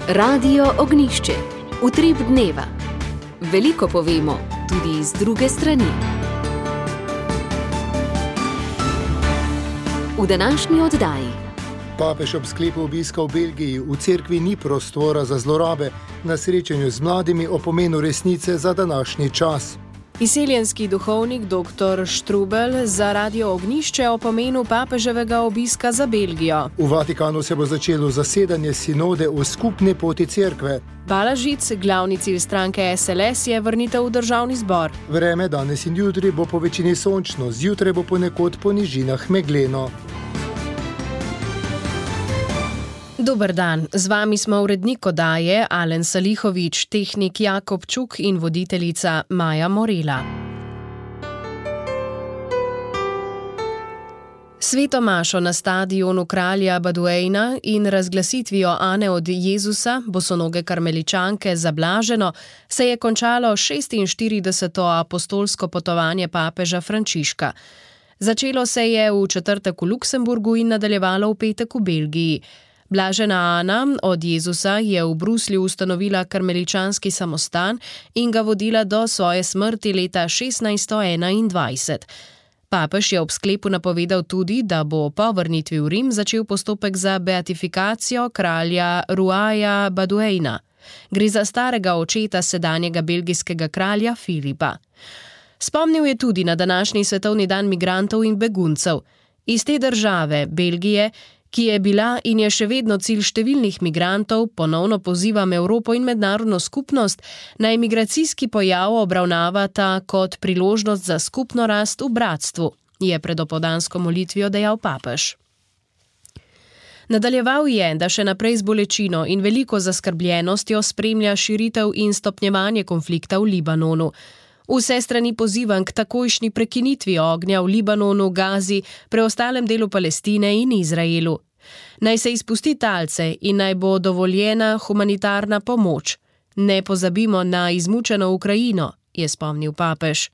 Radio Ognjišče. Utrip dneva. Veliko povemo, tudi iz druge strani. V današnji oddaji. Papež ob sklepu obiska v Belgiji. V cerkvi ni prostora za zlorabe. Na srečanju z mladimi o pomenu resnice za današnji čas. Izseljenski duhovnik dr. Strubel za Radio Ognjišče o pomenu papeževega obiska za Belgijo. V Vatikanu se bo začelo zasedanje sinode o skupni poti cerkve. Balažic, glavni cilj stranke SLS, je vrnitev v državni zbor. Vreme danes in jutri bo po večini sončno, zjutraj bo ponekod po nižinah megleno. Dober dan, z vami smo urednik oddaje Alen Salihovič, tehnik Jakob Čuk in voditeljica Maja Morela. Sveto mašo na stadionu kralja Baduejna in razglasitvijo Ane od Jezusa, bosonoge karmeličanke za blaženo, se je končalo 46. apostolsko potovanje papeža Frančiška. Začelo se je v četrtek v Luksemburgu in nadaljevalo v petek v Belgiji. Blažena Ana od Jezusa je v Bruslju ustanovila karmeličanski samostan in ga vodila do svoje smrti leta 1621. Papež je ob sklepu napovedal tudi, da bo po vrnitvi v Rim začel postopek za beatifikacijo kralja Ruaja Baduejna. Gre za starega očeta sedanjega belgijskega kralja Filipa. Spomnil je tudi na današnji svetovni dan migrantov in beguncev. Iz te države, Belgije, ki je bila in je še vedno cilj številnih migrantov, ponovno pozivam Evropo in mednarodno skupnost, naj migracijski pojav obravnavata kot priložnost za skupno rast v bratstvu, je pred opoldansko molitvijo dejal papež. Nadaljeval je, da še naprej z bolečino in veliko zaskrbljenostjo spremlja širitev in stopnjevanje konflikta v Libanonu. Vse strani pozivam k takojšnji prekinitvi ognja v Libanonu, Gazi, preostalem delu Palestine in Izraelu. Naj se izpusti talce in naj bo dovoljena humanitarna pomoč. Ne pozabimo na izmučeno Ukrajino, je spomnil papež.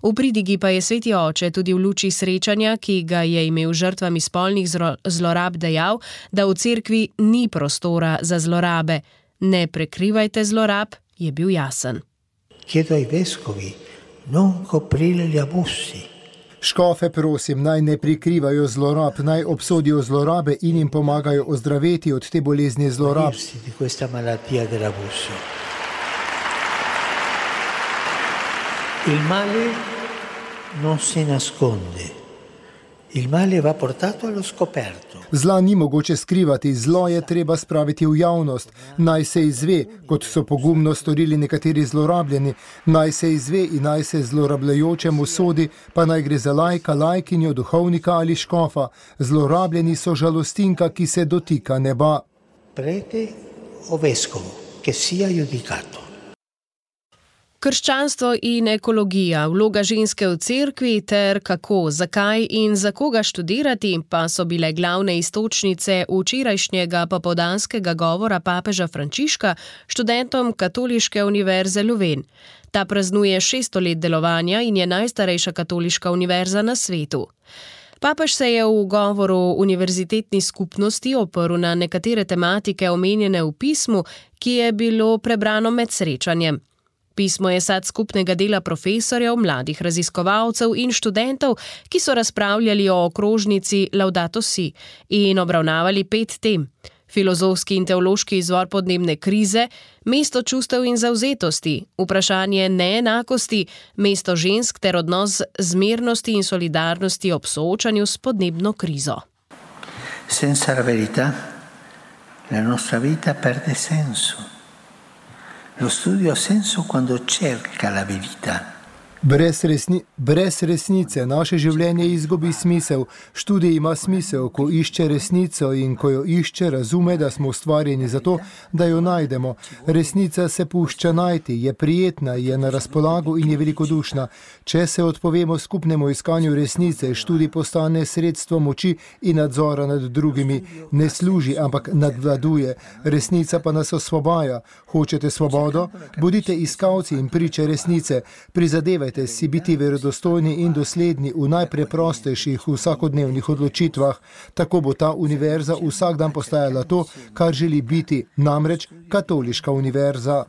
V pridigi pa je sveti oče tudi v luči srečanja, ki ga je imel žrtvami spolnih zlorab, dejal, da v cerkvi ni prostora za zlorabe. Ne prekrivajte zlorab, je bil jasen. Chiedo ai vescovi non coprire gli abusi. Škofe prosim, naj ne prikrivajo zlorab, naj obsodijo zlorabe in jim pomagajo ozdraveti od te bolezni zlorab. Di questa malattia dell'abuso. Il male non si nasconde. Il male va portato allo scoperto. Zla ni mogoče skrivati, zlo je treba spraviti v javnost. Naj se izve, kot so pogumno storili nekateri zlorabljeni, naj se izve in naj se zlorabljajočemu sodi, pa naj gre za lajka, lajkinjo, duhovnika ali škofa. Zlorabljeni so žalostinka, ki se dotika neba. Prete o vescovo, che sia giudicato. Krščanstvo in ekologija, vloga ženske v cerkvi ter kako, zakaj in za koga študirati pa so bile glavne iztočnice včerajšnjega popoldanskega govora papeža Frančiška študentom Katoliške univerze Leuven. Ta praznuje 600 let delovanja in je najstarejša katoliška univerza na svetu. Papež se je v govoru univerzitetni skupnosti oprl na nekatere tematike omenjene v pismu, ki je bilo prebrano med srečanjem. Pismo je sad skupnega dela profesorjev, mladih raziskovalcev in študentov, ki so razpravljali o okrožnici Laudato Si in obravnavali 5 tem. Filozofski in teološki izvor podnebne krize, mesto čustev in zavzetosti, vprašanje neenakosti, mesto žensk ter odnos zmernosti in solidarnosti ob soočanju s podnebno krizo. Senza la verità, la nostra vita perde senso. Lo studio ha senso quando cerca la verità. Brez resnice naše življenje izgubi smisel. Študij ima smisel, ko išče resnico in ko jo išče, razume, da smo ustvarjeni za to, da jo najdemo. Resnica se pušča najti, je prijetna, je na razpolago in je velikodušna. Če se odpovemo skupnemu iskanju resnice, študij postane sredstvo moči in nadzora nad drugimi. Ne služi, ampak nadvladuje. Resnica pa nas osvobaja. Hočete svobodo? Bodite iskalci in priče resnice. Prizadevajte Prizadevajte si biti verodostojni in dosledni v najpreprostejših vsakodnevnih odločitvah, tako bo ta univerza vsak dan postajala to, kar želi biti, namreč katoliška univerza.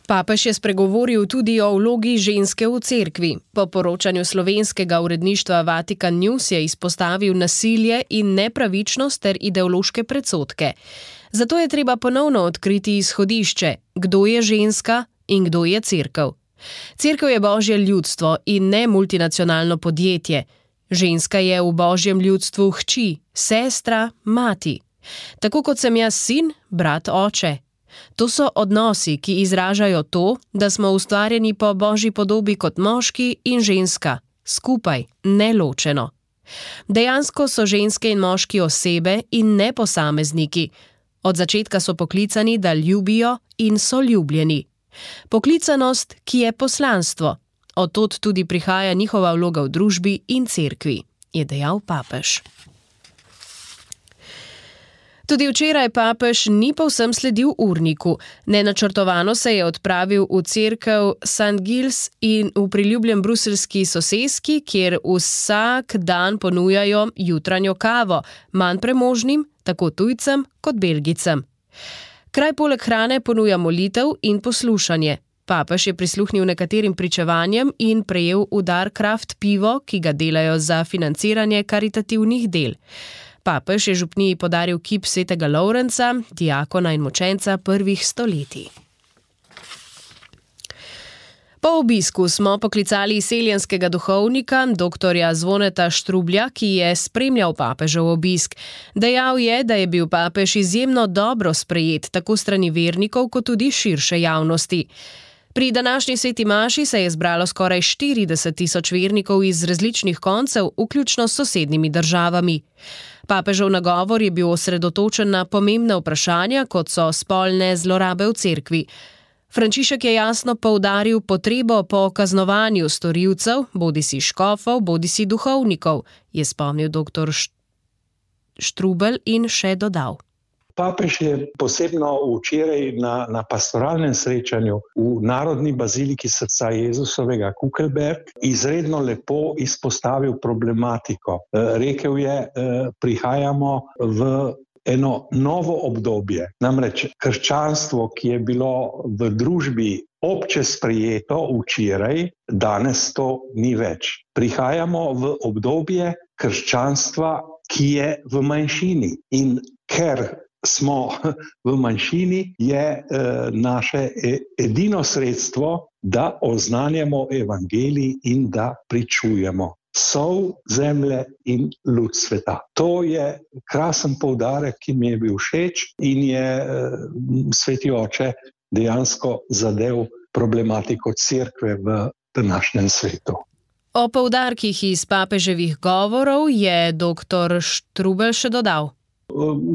Papež je spregovoril tudi o vlogi ženske v cerkvi. Po poročanju slovenskega uredništva Vatikan News je izpostavil nasilje in nepravičnost ter ideološke predsodke. Zato je treba ponovno odkriti izhodišče, kdo je ženska in kdo je cerkev. Cerkev je Božje ljudstvo in ne multinacionalno podjetje. Ženska je v Božjem ljudstvu hči, sestra, mati. Tako kot sem jaz sin, brat, oče. To so odnosi, ki izražajo to, da smo ustvarjeni po Božji podobi kot moški in ženska, skupaj, neločeno. Dejansko so ženske in moški osebe in ne posamezniki. Od začetka so poklicani, da ljubijo in so ljubljeni. Poklicanost, ki je poslanstvo. Od tod tudi prihaja njihova vloga v družbi in cerkvi, je dejal papež. Tudi včeraj papež ni povsem sledil urniku. Nenačrtovano se je odpravil v cerkev St. Giles in v priljubljen bruseljski soseski, kjer vsak dan ponujajo jutranjo kavo, manj premožnim, tako tujcem kot Belgicem. Kraj poleg hrane ponuja molitev in poslušanje. Papež je prisluhnil nekaterim pričevanjem in prejel v dar kraft pivo, ki ga delajo za financiranje karitativnih del. Papež je župniji podaril kip svetega Lovrenca, diakona in mučenca prvih stoletij. Po obisku smo poklicali seljenskega duhovnika, doktorja Zvoneta Štrublja, ki je spremljal papežev obisk. Dejal je, da je bil papež izjemno dobro sprejet, tako strani vernikov, kot tudi širše javnosti. Pri današnji sveti maši se je zbralo skoraj 40.000 vernikov iz različnih koncev, vključno s sosednjimi državami. Papežev nagovor je bil osredotočen na pomembne vprašanja, kot so spolne zlorabe v cerkvi. Frančišek je jasno poudaril potrebo po kaznovanju storilcev, bodisi škofov, bodisi duhovnikov, je spomnil dr. Štrubelj in še dodal. Papež je posebno včeraj na pastoralnem srečanju v Narodni baziliki srca Jezusovega Kukelberg izredno lepo izpostavil problematiko. Rekel je, prihajamo v eno novo obdobje. Namreč krščanstvo, ki je bilo v družbi obče sprejeto včeraj, danes to ni več. Prihajamo v obdobje krščanstva, ki je v manjšini. In ker smo v manjšini, je naše edino sredstvo, da oznanjamo evangelij in da pričujemo. Sol zemlje in luč sveta. To je krasen poudarek, ki mi je bil všeč in je sveti oče dejansko zadev problematiko cerkve v današnjem svetu. O poudarkih iz papeževih govorov je dr. Štrubelj še dodal.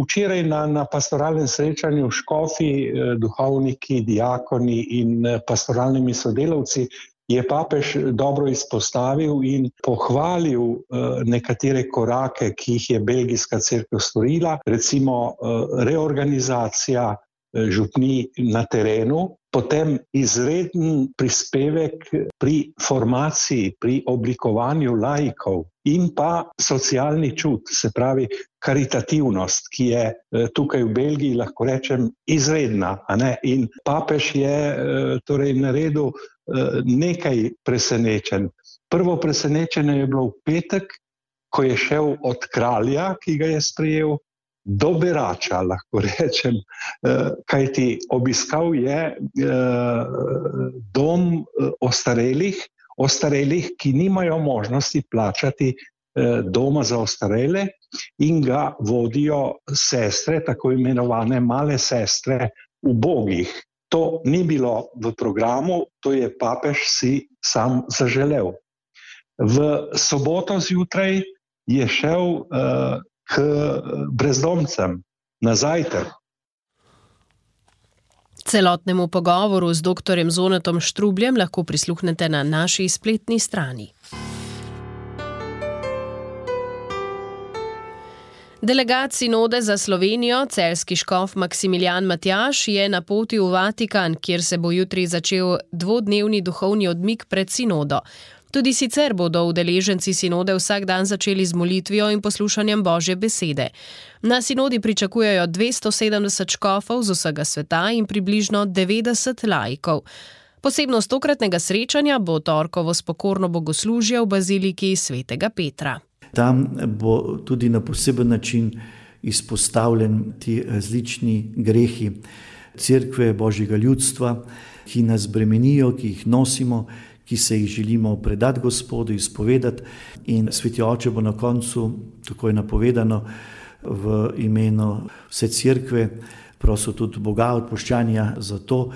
Včeraj na pastoralnem srečanju škofi, duhovniki, diakoni in pastoralnimi sodelavci je papež dobro izpostavil in pohvalil nekatere korake, ki jih je belgijska cerkev storila, recimo reorganizacija župnij na terenu, potem izreden prispevek pri formaciji, pri oblikovanju laikov in pa socialni čut, se pravi karitativnost, ki je tukaj v Belgiji, lahko rečem, izredna. In papež je torej naredil nekaj presenečenj. Prvo presenečenje je bilo v petek, ko je šel od kralja, ki ga je sprejel, do berača, lahko rečem, kajti obiskal je dom ostarelih, ki nimajo možnosti plačati doma za ostarele in ga vodijo sestre, tako imenovane male sestre ubogih. To ni bilo v programu, to je papež si sam zaželel. V soboto zjutraj je šel k brezdomcem na zajtrk. Celotnemu pogovoru z dr. Zvonetom Štrubljem lahko prisluhnete na naši spletni strani. Delegat sinode za Slovenijo, celjski škof Maksimilijan Matjaž, je na poti v Vatikan, kjer se bo jutri začel dvodnevni duhovni odmik pred sinodo. Tudi sicer bodo udeleženci sinode vsak dan začeli z molitvijo in poslušanjem Božje besede. Na sinodi pričakujejo 270 škofov z vsega sveta in približno 90 laikov. Posebnost tokratnega srečanja bo torkovo spokorno bogoslužje v baziliki svetega Petra. Tam bo tudi na poseben način izpostavljen ti različni grehi Cerkve, Božjega ljudstva, ki nas bremenijo, ki jih nosimo, ki se jih želimo predati Gospodu, izpovedati. In Sveti Oče bo na koncu, tako je napovedano, v imenu vse Cerkve prosil tudi Boga odpuščanja za to.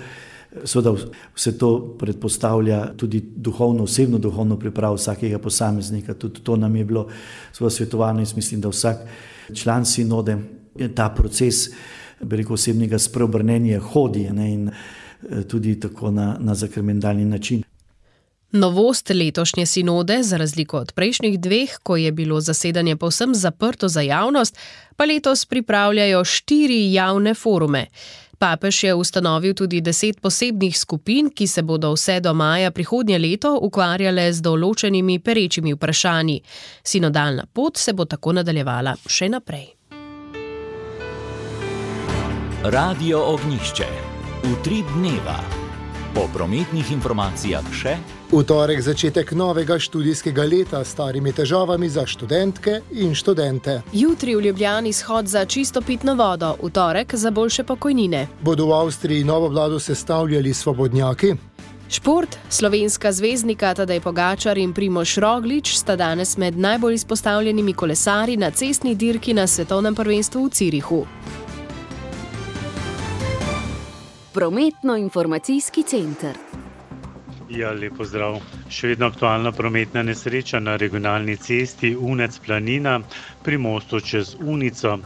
Seveda vse to predpostavlja tudi osebno duhovno pripravo vsakega posameznika. Tudi to nam je bilo svetovano in mislim, da vsak član sinode ta proces osebnega spreobrnenja hodi in tudi tako na zakramentalni način. Novost letošnje sinode, za razliko od prejšnjih dveh, ko je bilo zasedanje povsem zaprto za javnost, pa letos pripravljajo 4 javne forume. Papež je ustanovil tudi 10 posebnih skupin, ki se bodo vse do maja prihodnje leto ukvarjale z določenimi perečimi vprašanji. Sinodalna pot se bo tako nadaljevala še naprej. Radio Ognjišče. Utrip dneva. Po prometnih informacijah še. V torek začetek novega študijskega leta s starimi težavami za študentke in študente. Jutri v Ljubljani shod za čisto pitno vodo, v torek za boljše pokojnine. Bodo v Avstriji novo vlado sestavljali svobodnjaki? Šport, slovenska zvezdnika Tadej Pogačar in Primož Roglič sta danes med najbolj izpostavljenimi kolesarji na cestni dirki na svetovnem prvenstvu v Zürichu. Prometno-informacijski center. Ja, lep pozdrav. Še vedno aktualna prometna nesreča na regionalni cesti Unec-Planina pri mostu čez Unico.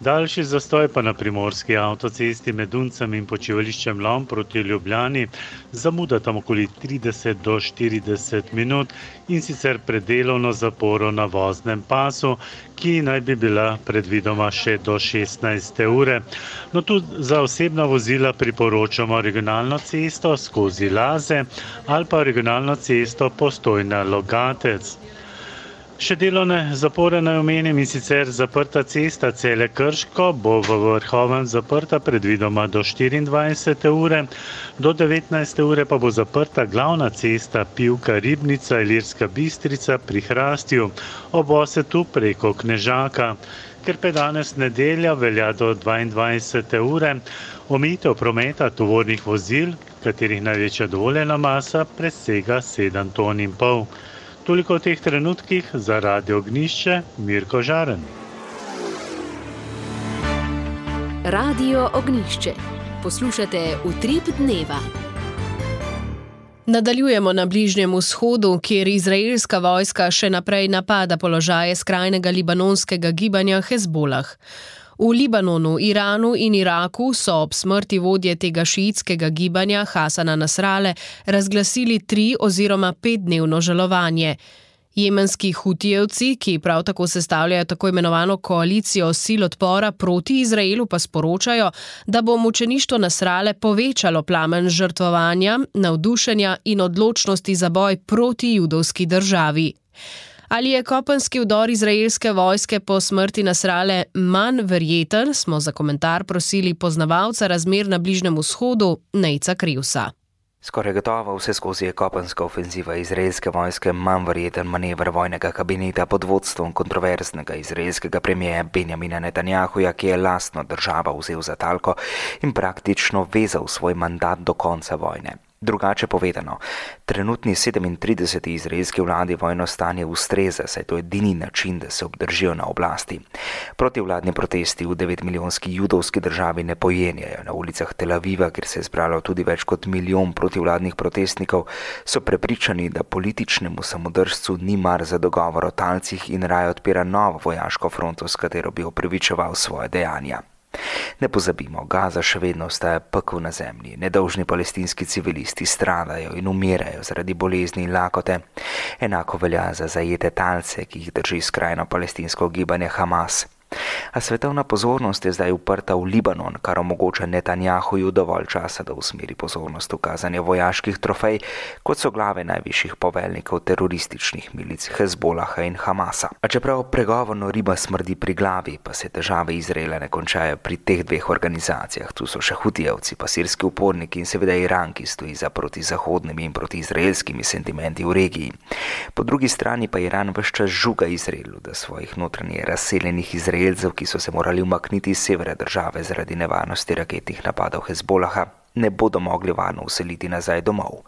Daljši zastoj pa na primorski avtocesti med Uncem in počivališčem Lom proti Ljubljani, zamuda tam okoli 30 do 40 minut in sicer predelovno zaporo na voznem pasu, ki naj bi bila predvidoma še do 16. ure. No, tudi za osebna vozila priporočamo regionalno cesto skozi Laze ali pa regionalno cesto Postojna-Logatec. Še delovne zapore naj omenim in sicer zaprta cesta Celje-Krško bo v Vrhovem zaprta predvidoma do 24. ure, do 19. ure pa bo zaprta glavna cesta Pivka-Ribnica-Ilirska Bistrica pri Hrastju ob Osetu preko Knežaka. Ker pa je danes nedelja, velja do 22. ure, omejitev prometa tovornih vozil, katerih največja dovoljena masa presega 7,5 ton. Toliko v teh trenutkih za Radio Ognjišče, Mirko Žaren. Radio Ognjišče. Poslušate Utrip dneva. Nadaljujemo na Bližnjem vzhodu, kjer izraelska vojska še naprej napada položaje skrajnega libanonskega gibanja Hezbolah. V Libanonu, Iranu in Iraku so ob smrti vodje tega šiitskega gibanja Hasana Nasrale razglasili 3 oziroma 5-dnevno žalovanje. Jemenski hutijevci, ki prav tako sestavljajo tako imenovano koalicijo sil odpora proti Izraelu, pa sporočajo, da bo mučeništvo Nasrale povečalo plamen žrtvovanja, navdušenja in odločnosti za boj proti judovski državi. Ali je kopenski vdor izraelske vojske po smrti Nasrale manj verjeten, smo za komentar prosili poznavalca razmer na Bližnjem vzhodu, Nejca Krivsa. Skoraj gotovo vse skozi je kopenska ofenziva izraelske vojske manj verjeten manever vojnega kabineta pod vodstvom kontroverznega izraelskega premijeja Benjamina Netanjahuja, ki je lastno državo vzel za talko in praktično vezal svoj mandat do konca vojne. Drugače povedano, trenutni 37. izraelski vladi vojno stanje ustreza, saj to je edini način, da se obdržijo na oblasti. Protivladni protesti v 9-milijonski judovski državi ne pojenjajo. Na ulicah Tel Aviva, kjer se je zbralo tudi več kot 1 milijon protivladnih protestnikov, so prepričani, da političnemu samodržcu ni mar za dogovor o talcih in raje odpira novo vojaško fronto, s katero bi opravičeval svoje dejanja. Ne pozabimo, Gaza še vedno ostaja pekel na zemlji. Nedolžni palestinski civilisti stradajo in umirajo zaradi bolezni in lakote. Enako velja za zajete talce, ki jih drži skrajno palestinsko gibanje Hamas. A svetovna pozornost je zdaj uprta v Libanon, kar omogoča Netanjahuju dovolj časa, da usmeri pozornost v kazanje vojaških trofej, kot so glave najvišjih poveljnikov terorističnih milic Hezbolaha in Hamasa. A čeprav pregovorno riba smrdi pri glavi, pa se težave Izraela ne končajo pri teh dveh organizacijah. Tu so še Hutijevci, pa sirski uporniki in seveda Iran, ki stoji za protizahodnimi in protiizraelskimi sentimenti v regiji. Po drugi strani pa Iran ves čas žuga Izraelu, da svojih notranje razseljenih Izraelcev, ki so se morali umakniti iz severa države zaradi nevarnosti raketnih napadov Hezbolaha, ne bodo mogli varno useliti nazaj domov.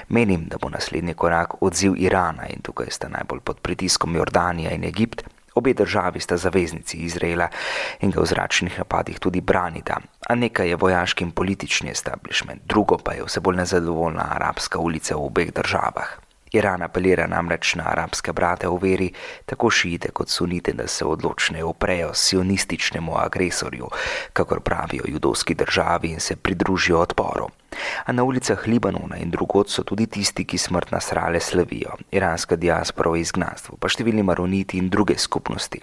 Menim, da bo naslednji korak odziv Irana in tukaj sta najbolj pod pritiskom Jordanija in Egipt. Obe državi sta zaveznici Izraela in ga v zračnih napadih tudi branita. A nekaj je vojaški in politični establishment, drugo pa je vse bolj nezadovoljna arabska ulica v obeh državah. Iran apelira namreč na arabske brate v veri, tako šiite kot sunite, da se odločneje uprejo sionističnemu agresorju, kakor pravijo judovski državi, in se pridružijo odporu. A na ulicah Libanona in drugod so tudi tisti, ki smrt Nasrale slavijo, iranska diaspora v izgnanstvu, pa številni maroniti in druge skupnosti.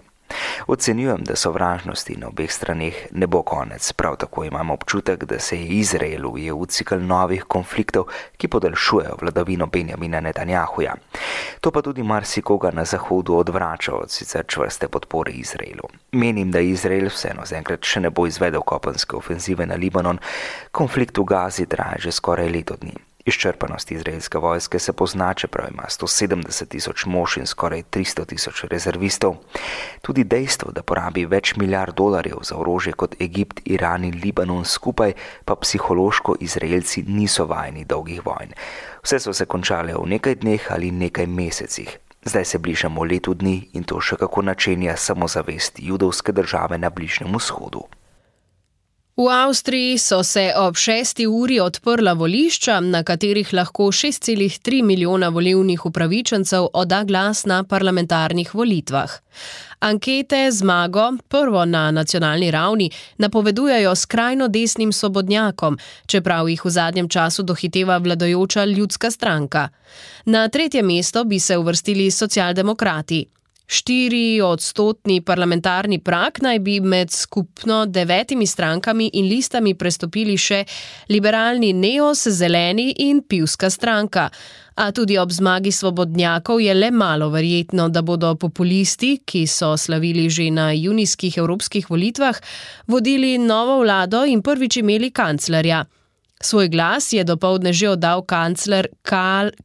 Ocenjujem, da sovražnosti na obeh straneh ne bo konec, prav tako imam občutek, da se je Izrael ujel v cikel novih konfliktov, ki podaljšujejo vladavino Benjamina Netanjahuja. To pa tudi marsikoga na Zahodu odvrača od sicer čvrste podpore Izraelu. Menim, da Izrael vseeno zaenkrat še ne bo izvedel kopenske ofenzive na Libanon, konflikt v Gazi traja že skoraj leto dni. Izčrpanost izraelske vojske se pozna, čeprav ima 170,000 mož in skoraj 300,000 rezervistov. Tudi dejstvo, da porabi več milijard dolarjev za orožje kot Egipt, Iran in Libanon skupaj, pa psihološko Izraelci niso vajeni dolgih vojn. Vse so se končale v nekaj dneh ali nekaj mesecih. Zdaj se bližamo letu dni in to še kako načenja samozavest judovske države na Bližnjem vzhodu. V Avstriji so se ob 6. uri odprla volišča, na katerih lahko 6,3 milijona volilnih upravičencev odda glas na parlamentarnih volitvah. Ankete zmago, prvo na nacionalni ravni, napovedujejo skrajno desnim svobodnjakom, čeprav jih v zadnjem času dohiteva vladajoča ljudska stranka. Na 3. mesto bi se uvrstili socialdemokrati. 4% parlamentarni prag naj bi med skupno 9 strankami in listami prestopili še liberalni Neos, Zeleni in Pivska stranka. A tudi ob zmagi svobodnjakov je le malo verjetno, da bodo populisti, ki so slavili že na junijskih evropskih volitvah, vodili novo vlado in prvič imeli kanclerja. Svoj glas je dopoldne že oddal kancler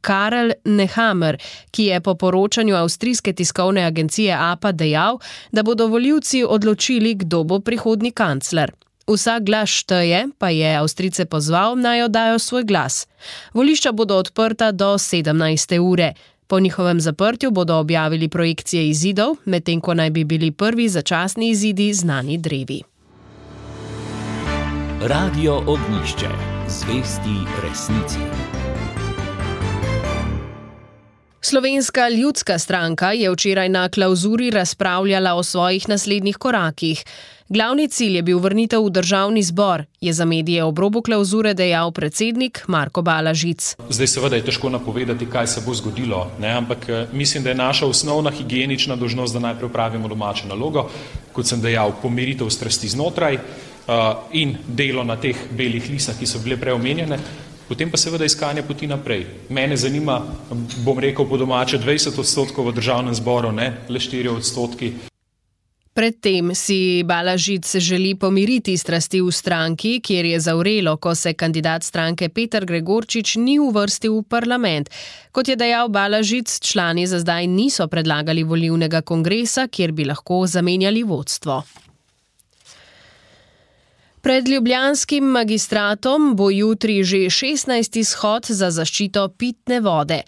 Karel Nehammer, ki je po poročanju avstrijske tiskovne agencije APA dejal, da bodo volivci odločili, kdo bo prihodnji kancler. Vsak glas šteje, pa je Avstrijce pozval, naj oddajo svoj glas. Volišča bodo odprta do 17. ure. Po njihovem zaprtju bodo objavili projekcije izidov, medtem ko naj bi bili prvi začasni izidi znani drevi. Radio Ognjišče. Zvesti resnici. Slovenska ljudska stranka je včeraj na klavzuri razpravljala o svojih naslednjih korakih. Glavni cilj je bil vrnitev v državni zbor, je za medije ob robu klavzure dejal predsednik Marko Balažic. Zdaj seveda je težko napovedati, kaj se bo zgodilo, ampak mislim, da je naša osnovna higienična dolžnost, da najprej opravimo domačo nalogo, kot sem dejal, pomiritev strasti znotraj in delo na teh belih lisah, ki so bile preomenjene, potem pa seveda iskanje poti naprej. Mene zanima, bom rekel po domače, 20% v državnem zboru, ne le 4%. Predtem si Balažic želi pomiriti strasti v stranki, kjer je zavrelo, ko se kandidat stranke Peter Gregorčič ni uvrstil v parlament. Kot je dejal Balažic, člani za zdaj niso predlagali volilnega kongresa, kjer bi lahko zamenjali vodstvo. Pred ljubljanskim magistratom bo jutri že 16. shod za zaščito pitne vode.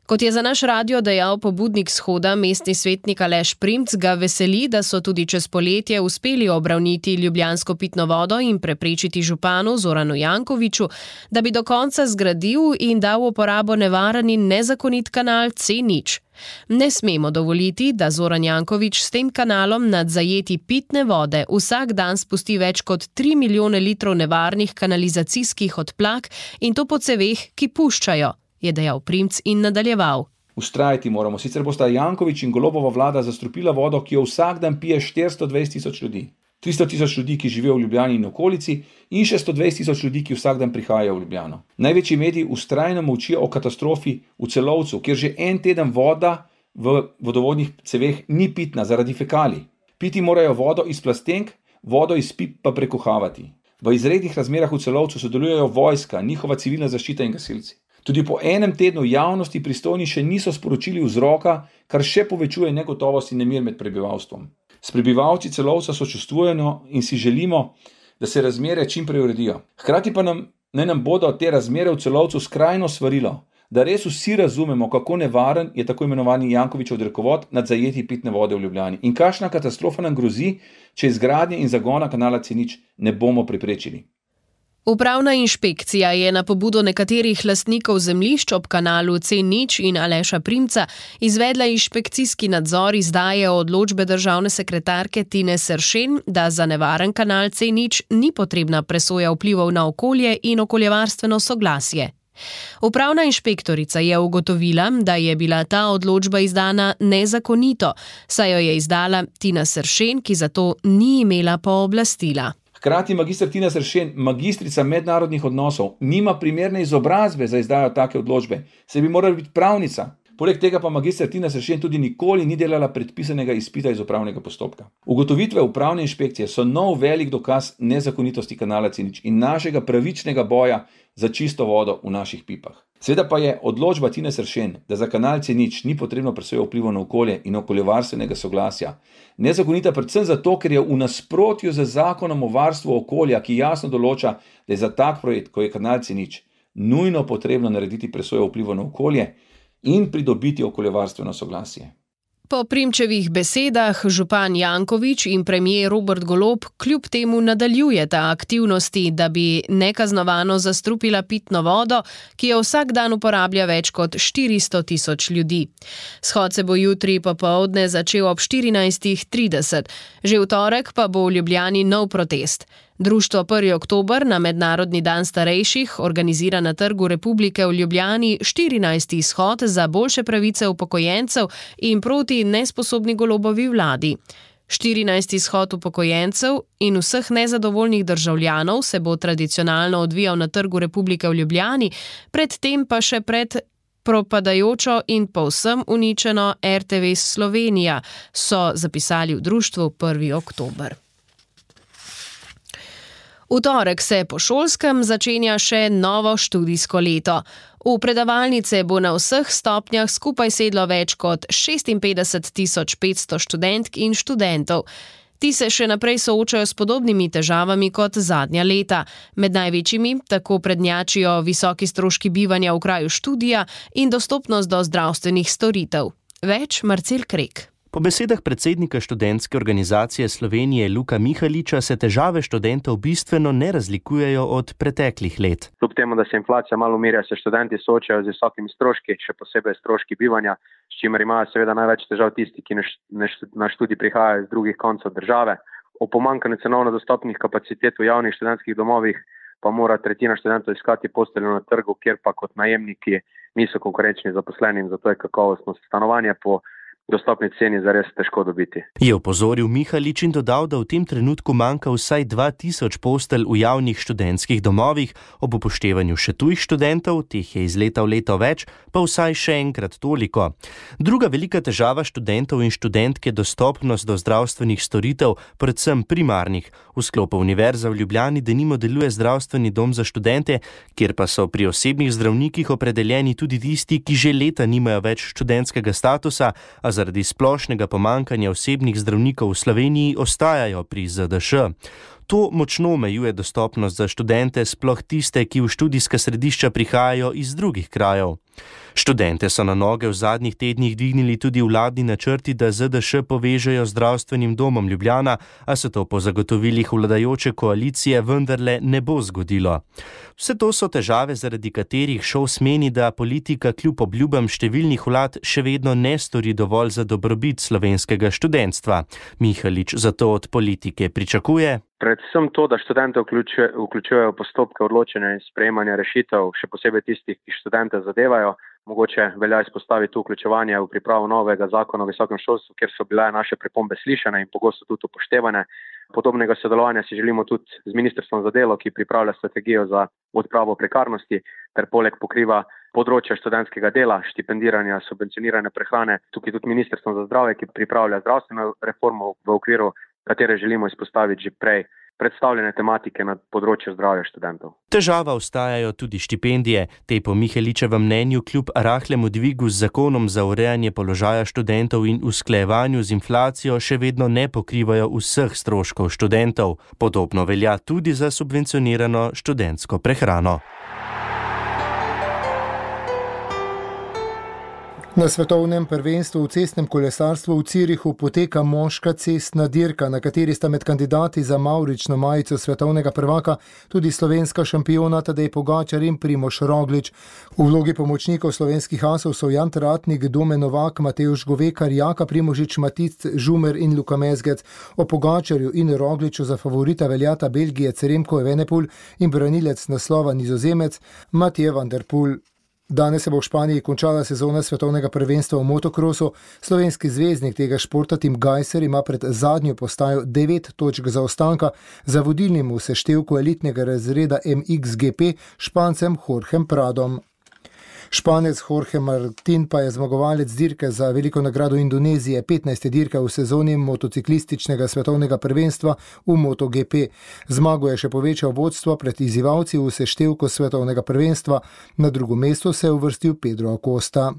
Kot je za naš radio dejal pobudnik shoda, mestni svetnik Aleš Primc, ga veseli, da so tudi čez poletje uspeli obravniti ljubljansko pitno vodo in preprečiti županu Zoranu Jankoviću, da bi do konca zgradil in dal v uporabo nevaren in nezakonit kanal C0. Ne smemo dovoliti, da Zoran Janković s tem kanalom nad zajeti pitne vode vsak dan spusti več kot 3 milijone litrov nevarnih kanalizacijskih odplak in to po ceveh, ki puščajo, je dejal Primc in nadaljeval. Vztrajati moramo, sicer bosta Janković in Golobova vlada zastrupila vodo, ki jo vsak dan pije 420 tisoč ljudi. 300 tisoč ljudi, ki živijo v Ljubljani in okolici, in še 120 tisoč ljudi, ki vsak dan prihajajo v Ljubljano. Največji mediji vztrajno molčijo o katastrofi v Celovcu, kjer že en teden voda v vodovodnih ceveh ni pitna zaradi fekalij. Piti morajo vodo iz plastenk, vodo iz pip pa prekuhavati. V izrednih razmerah v Celovcu sodelujejo vojska, njihova civilna zaščita in gasilci. Tudi po enem tednu javnosti pristojni še niso sporočili vzroka, kar še povečuje negotovost in nemir med prebivalstvom. S prebivalci Celovca sočustvujemo in si želimo, da se razmere čim prej uredijo. Hkrati pa naj nam bodo te razmere v Celovcu skrajno svarilo, da res vsi razumemo, kako nevaren je tako imenovani Jankovićev drekovod nad zajetji pitne vode v Ljubljani in kakšna katastrofa nam grozi, če izgradnje in zagona kanala C0 ne bomo preprečili. Upravna inšpekcija je na pobudo nekaterih lastnikov zemljišč ob kanalu C0 in Aleša Primca izvedla inšpekcijski nadzor izdaje odločbe državne sekretarke Tine Seršen, da za nevaren kanal C0 ni potrebna presoja vplivov na okolje in okoljevarstveno soglasje. Upravna inšpektorica je ugotovila, da je bila ta odločba izdana nezakonito, saj jo je izdala Tina Seršen, ki za to ni imela pooblastila. Hkrati magister Tina Seršen, magistrica mednarodnih odnosov, nima primerne izobrazbe za izdajo take odločbe, saj bi morala biti pravnica. Poleg tega pa magister Tina Seršen tudi nikoli ni delala predpisanega izpita iz upravnega postopka. Ugotovitve upravne inšpekcije so nov velik dokaz nezakonitosti kanala C0 in našega pravičnega boja za čisto vodo v naših pipah. Seveda pa je odločba Tine Seršen, da za kanal C0 ni potrebno presojo vplivov na okolje in okoljevarstvenega soglasja, nezakonita predvsem zato, ker je v nasprotju z zakonom o varstvu okolja, ki jasno določa, da je za tak projekt, ko je kanal C0, nujno potrebno narediti presojo vplivov na okolje in pridobiti okoljevarstveno soglasje. Po Primčevih besedah župan Janković in premier Robert Golob kljub temu nadaljujeta aktivnosti, da bi nekaznovano zastrupila pitno vodo, ki jo vsak dan uporablja več kot 400 tisoč ljudi. Shod se bo jutri popoldne začel ob 14:30. Že v torek pa bo v Ljubljani nov protest. Društvo 1. oktober na Mednarodni dan starejših organizira na Trgu Republike v Ljubljani 14. shod za boljše pravice upokojencev in proti nesposobni Golobovi vladi. 14. shod upokojencev in vseh nezadovoljnih državljanov se bo tradicionalno odvijal na Trgu Republike v Ljubljani, predtem pa še pred propadajočo in povsem uničeno RTV Slovenija, so zapisali v društvu 1. oktober. V torek se po šolskem začenja še novo študijsko leto. V predavalnice bo na vseh stopnjah skupaj sedlo več kot 56.500 študentk in študentov. Ti se še naprej soočajo s podobnimi težavami kot zadnja leta. Med največjimi tako prednjačijo visoki stroški bivanja v kraju študija in dostopnost do zdravstvenih storitev. Več Marcel Krek. Po besedah predsednika študentske organizacije Slovenije Luka Mihaliča se težave študentov bistveno ne razlikujejo od preteklih let. Kljub temu, da se inflacija malo umirja, se študenti soočajo z visokimi stroški, še posebej stroški bivanja, s čimer imajo seveda največ težav tisti, ki na študij prihajajo iz drugih koncev države. O pomanjkanju cenovno dostopnih kapacitet v javnih študentskih domovih pa mora tretjina študentov iskati posteljo na trgu, kjer pa kot najemniki niso konkurenčni zaposlenim, zato je kakovostno stanovanje po dostopni ceni zares težko dobiti. Je opozoril Mihalič in dodal, da v tem trenutku manjka vsaj 2000 postelj v javnih študentskih domovih, ob upoštevanju še tujih študentov, teh je iz leta v leto več, pa vsaj še enkrat toliko. Druga velika težava študentov in študentk je dostopnost do zdravstvenih storitev, predvsem primarnih. V sklopu Univerze v Ljubljani denimo deluje zdravstveni dom za študente, kjer pa so pri osebnih zdravnikih opredeljeni tudi tisti, ki že leta nimajo več študentskega statusa, a zaradi splošnega pomankanja osebnih zdravnikov v Sloveniji ostajajo pri ZDŠ. To močno omejuje dostopnost za študente, sploh tiste, ki v študijska središča prihajajo iz drugih krajev. Študente so na noge v zadnjih tednih dvignili tudi vladni načrti, da ZDŠ povežejo zdravstvenim domom Ljubljana, a se to po zagotovilih vladajoče koalicije vendarle ne bo zgodilo. Vse to so težave, zaradi katerih ŠOS meni, da politika kljub obljubam številnih vlad še vedno ne stori dovolj za dobrobit slovenskega študentstva. Mihalič zato od politike pričakuje: Predvsem to, da študente vključujejo postopke odločanja in sprejemanja rešitev, še posebej tistih, ki študente zadevajo. Mogoče velja izpostaviti vključevanje v pripravo novega zakona o visokem šolstvu, kjer so bile naše pripombe slišane in pogosto tudi upoštevane. Podobnega sodelovanja si želimo tudi z Ministrstvom za delo, ki pripravlja strategijo za odpravo prekarnosti, ter poleg pokriva področja študentskega dela, štipendiranja, subvencionirane prehrane, tukaj tudi Ministrstvo za zdravje, ki pripravlja zdravstveno reformo, v okviru katere želimo izpostaviti že prej predstavljene tematike na področju zdravja študentov. Težava ostajajo tudi štipendije. Te po Miheličevem mnenju kljub rahlemu dvigu z zakonom za urejanje položaja študentov in usklajevanju z inflacijo še vedno ne pokrivajo vseh stroškov študentov. Podobno velja tudi za subvencionirano študentsko prehrano. Na svetovnem prvenstvu v cestnem kolesarstvu v Zürichu poteka moška cestna dirka, na kateri sta med kandidati za mavrično majico svetovnega prvaka tudi slovenska šampiona Tadej Pogačar in Primož Roglič. V vlogi pomočnikov slovenskih asov so Jan Tratnik, Domen Novak, Matevž Govekar, Jaka Primožič, Matic, Žumer in Luka Mezgec. O Pogačarju in Rogliču za favorita veljata Belgijec Remko Evenepoel in branilec naslova Nizozemec Mathieu van der Poel. Danes se bo v Španiji končala sezona svetovnega prvenstva v motokrosu. Slovenski zvezdnik tega športa Tim Gajser ima pred zadnjo postajo 9 točk zaostanka za vodilnim v seštevku elitnega razreda MXGP Špancem Jorgem Pradom. Španec Jorge Martin pa je zmagovalec dirke za veliko nagrado Indonezije, 15. dirka v sezoni motociklističnega svetovnega prvenstva v MotoGP. Zmago je še povečal vodstvo pred izzivalci v seštevku svetovnega prvenstva. Na drugo mesto se je uvrstil Pedro Acosta.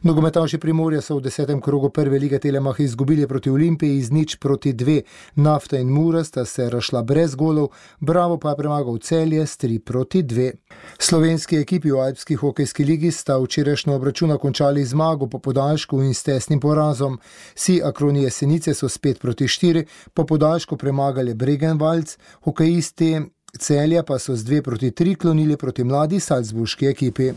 Nogometaši Primorja so v 10. krogu prve lige Telemach izgubili proti Olimpiji z 0-2. Nafta in Mura sta se razšla brez golov, Bravo pa je premagal Celje s 3-2. Slovenski ekipi v alpski hokejski ligi sta včerajšnjo obračuna končali zmago po podaljšku in s tesnim porazom. Si Akronije Senice so s 5-4 po podaljšku premagali Bregenvalc, hokejisti Celja pa so s 2-3 klonili proti mladi salzburški ekipi.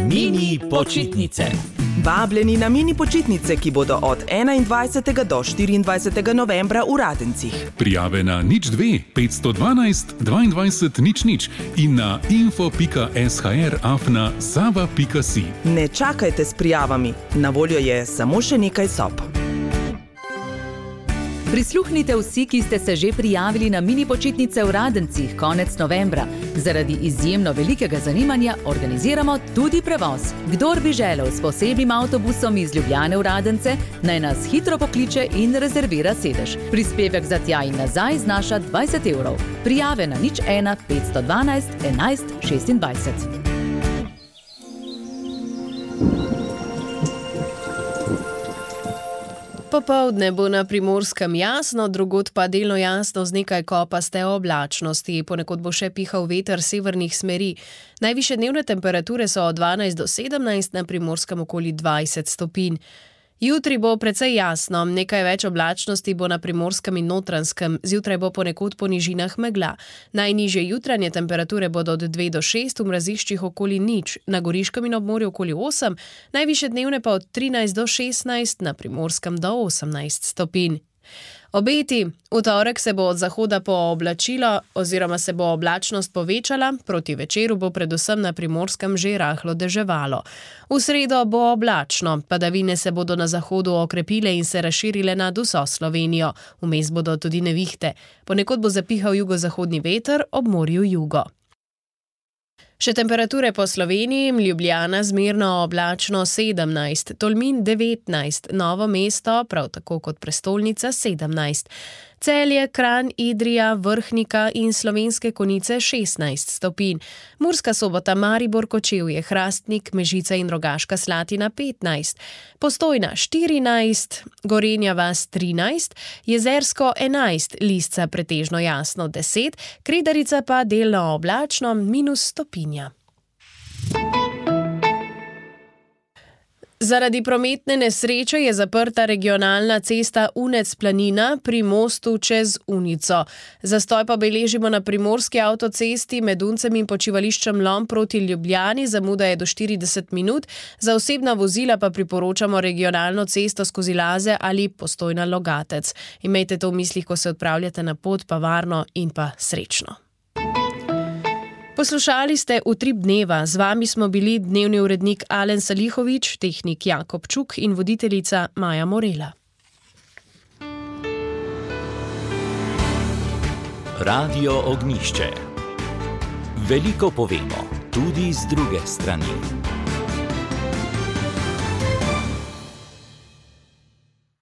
Mini počitnice. Vabljeni na mini počitnice, ki bodo od 21. do 24. novembra v Radencih. Prijave na 02 512 22 00 in na info.shr@sava.si. Ne čakajte s prijavami, na voljo je samo še nekaj sob. Prisluhnite vsi, ki ste se že prijavili na mini počitnice v Radencih konec novembra. Zaradi izjemno velikega zanimanja organiziramo tudi prevoz. Kdor bi želel s posebnim avtobusom iz Ljubljane v Radence, naj nas hitro pokliče in rezervira sedež. Prispevek za tja in nazaj znaša 20 €. Prijave na 01 512 11 26. Popoldne bo na Primorskem jasno, drugod pa delno jasno z nekaj kopaste oblačnosti. Ponekod bo še pihal veter severnih smeri. Najvišje dnevne temperature so od 12 do 17, na Primorskem okoli 20 stopinj. Jutri bo precej jasno, nekaj več oblačnosti bo na Primorskem in Notranjskem, zjutraj bo ponekod po nižinah megla. Najnižje jutranje temperature bodo od 2 do 6, v mraziščih okoli 0, na Goriškem in ob morju okoli 8, najvišje dnevne pa od 13 do 16, na Primorskem do 18 stopinj. Obeti. V torek se bo od zahoda pooblačilo oziroma se bo oblačnost povečala, proti večeru bo predvsem na Primorskem že rahlo deževalo. V sredo bo oblačno, padavine se bodo na zahodu okrepile in se razširile nad vso Slovenijo. Vmes bodo tudi nevihte. Ponekod bo zapihal jugozahodni veter, ob morju jugo. Še temperature po Sloveniji: Ljubljana zmerno oblačno 17, Tolmin 19, Novo mesto, prav tako kot prestolnica, 17. Celje, Kranj, Idrija, Vrhnika in Slovenske Konjice 16 stopinj. Murska Sobota, Maribor, Kočevje, Hrastnik, Mežica in Rogaška Slatina 15, Postojna 14, Gorenja vas 13, Jezersko 11, Lisca pretežno jasno 10, Kredarica pa delno oblačno -1 stopinja. Zaradi prometne nesreče je zaprta regionalna cesta Unec-Planina pri mostu čez Unico. Zastoj pa beležimo na primorski avtocesti med Uncem in počivališčem Lom proti Ljubljani, zamuda je do 40 minut, za osebna vozila pa priporočamo regionalno cesto skozi Laze ali Postojna-Logatec. Imejte to v mislih, ko se odpravljate na pot, pa varno in pa srečno. Poslušali ste Utrip dneva. Z vami smo bili dnevni urednik Alen Salihovič, tehnik Jakob Čuk in voditeljica Maja Morela. Radio Ognjišče. Veliko povemo, tudi z druge strani.